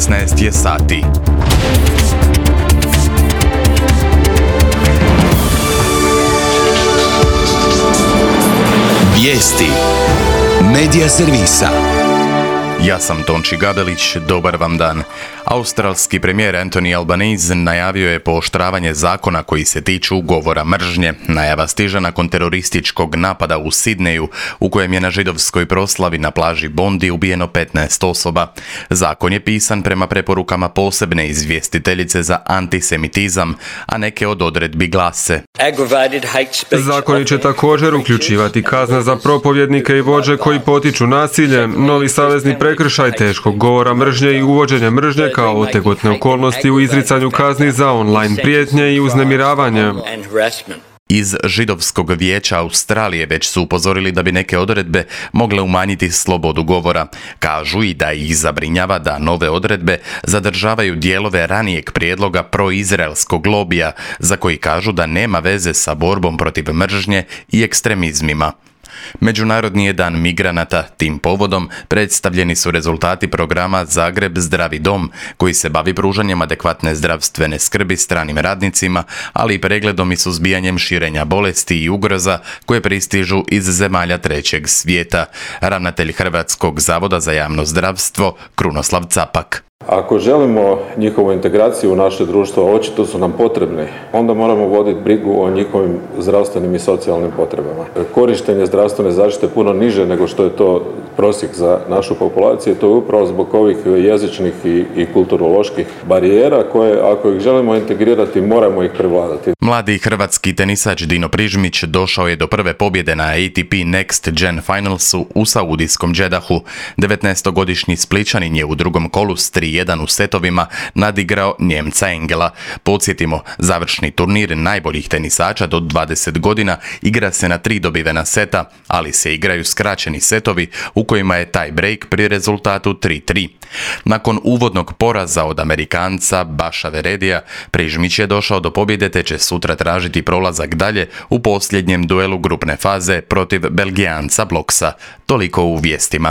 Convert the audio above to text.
16 je sati. Vijesti Medija servisa. Ja sam Tonči Gabelić, dobar vam dan. Australski premijer Anthony Albanese najavio je pooštravanje zakona koji se tiču govora mržnje. Najava stiže nakon terorističkog napada u Sidneju, u kojem je na židovskoj proslavi na plaži Bondi ubijeno 15 osoba. Zakon je pisan prema preporukama posebne izvjestiteljice za antisemitizam, a neke od odredbi glase: Zakoni će također uključivati kazne za propovjednike i vođe koji potiču nasilje, novi savezni prekršaj teškog govora mržnje i uvođenje mržnje kao otegotne okolnosti u izricanju kazni za online prijetnje i uznemiravanje. Iz Židovskog vijeća Australije već su upozorili da bi neke odredbe mogle umanjiti slobodu govora. Kažu i da ih zabrinjava da nove odredbe zadržavaju dijelove ranijeg prijedloga proizraelskog lobija, za koji kažu da nema veze sa borbom protiv mržnje i ekstremizmima. Međunarodni je dan migranata. Tim povodom predstavljeni su rezultati programa Zagreb Zdravi dom, koji se bavi pružanjem adekvatne zdravstvene skrbi stranim radnicima, ali i pregledom i suzbijanjem širenja bolesti i ugroza koje pristižu iz zemalja trećeg svijeta. Ravnatelj Hrvatskog zavoda za javno zdravstvo Krunoslav Capak. Ako želimo njihovu integraciju u naše društvo, a očito su nam potrebni, onda moramo voditi brigu o njihovim zdravstvenim i socijalnim potrebama. Korištenje zdravstvene zaštite puno niže nego što je to prosjek za našu populaciju, to je upravo zbog ovih jezičnih i kulturoloških barijera koje, ako ih želimo integrirati, moramo ih prevladati. Mladi hrvatski tenisač Dino Prižmić došao je do prve pobjede na ATP Next Gen Finalsu u saudijskom Džedahu. 19-godišnji Splićanin je u drugom kolu s 3-1 u setovima nadigrao Njemca Engela. Podsjetimo, završni turnir najboljih tenisača do 20 godina igra se na 3 dobivena seta, ali se igraju skraćeni setovi u kojima je tie break pri rezultatu 3-3. Nakon uvodnog poraza od Amerikanca Baša Veredija, Prižmić je došao do pobjede te će sutra tražiti prolazak dalje u posljednjem duelu grupne faze protiv Belgijanca Bloksa. Toliko u vijestima.